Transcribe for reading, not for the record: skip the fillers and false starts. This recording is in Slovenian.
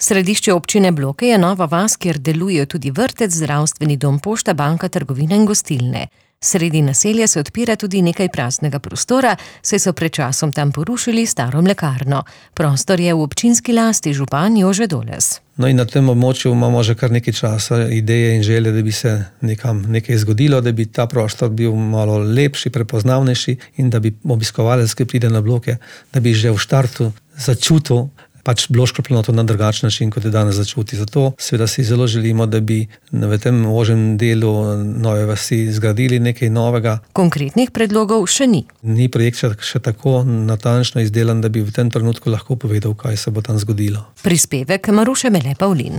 Središče občine Bloke je Nova vas, kjer delujejo tudi vrtec, zdravstveni dom, pošta, banka, trgovina in gostilne. Sredi naselja se odpira tudi nekaj praznega prostora, saj so pred časom tam porušili staro mlekarno. Prostor je v občinski lasti, župan Jože Doles. No in na tem območju imamo že kar nekaj časa ideje in želje, da bi se nekam nekaj zgodilo, da bi ta prostor bil malo lepši, prepoznavnejši in da bi obiskovalec, ki pride na Bloke, da bi že v štartu začutil Bloško planoto na drugačen način, kot je danes začuti. Zato seveda si zelo želimo, da bi v tem ožjem delu Nove vasi zgradili nekaj novega. Konkretnih predlogov še ni. Ni projekt še tako natančno izdelan, da bi v tem trenutku lahko povedal, kaj se bo tam zgodilo. Prispevek Maruše Mele Pavlin.